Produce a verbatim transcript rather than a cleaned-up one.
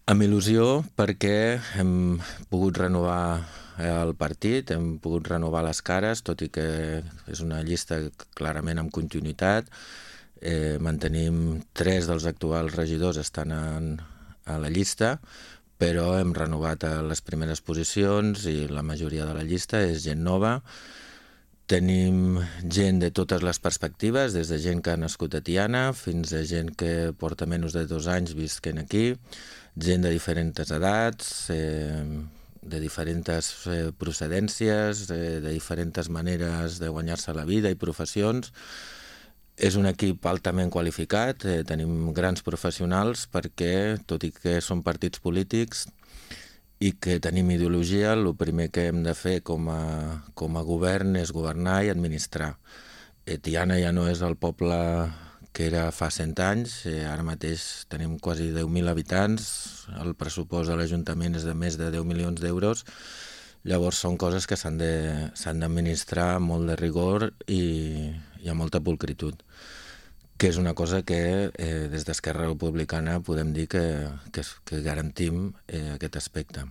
Amb il·lusió perquè hem pogut renovar el partit, hem pogut renovar les cares, tot i que és una llista clarament amb continuïtat. Eh, mantenim tres dels actuals regidors estan en, a la llista, però hem renovat a les primeres posicions i la majoria de la llista és gent nova. Tenim gent de totes les perspectives, des de gent que ha nascut a Tiana fins a gent que porta menys de dos anys visquent aquí, gent de diferents edats, eh, de diferents eh, procedències, eh, de diferents maneres de guanyar-se la vida i professions. És un equip altament qualificat, eh, tenim grans professionals perquè, tot i que són partits polítics i que tenim ideologia, el primer que hem de fer com a, com a govern és governar i administrar. Eh, Tiana ja no és el poble que era fa cent anys, eh, ara mateix tenim quasi deu mil habitants, el pressupost de l'Ajuntament és de més de deu milions d'euros, llavors són coses que s'han de, s'han d'administrar amb molt de rigor i, i amb molta pulcritud, que és una cosa que eh, des d'Esquerra Republicana podem dir que, que, que garantim eh, aquest aspecte.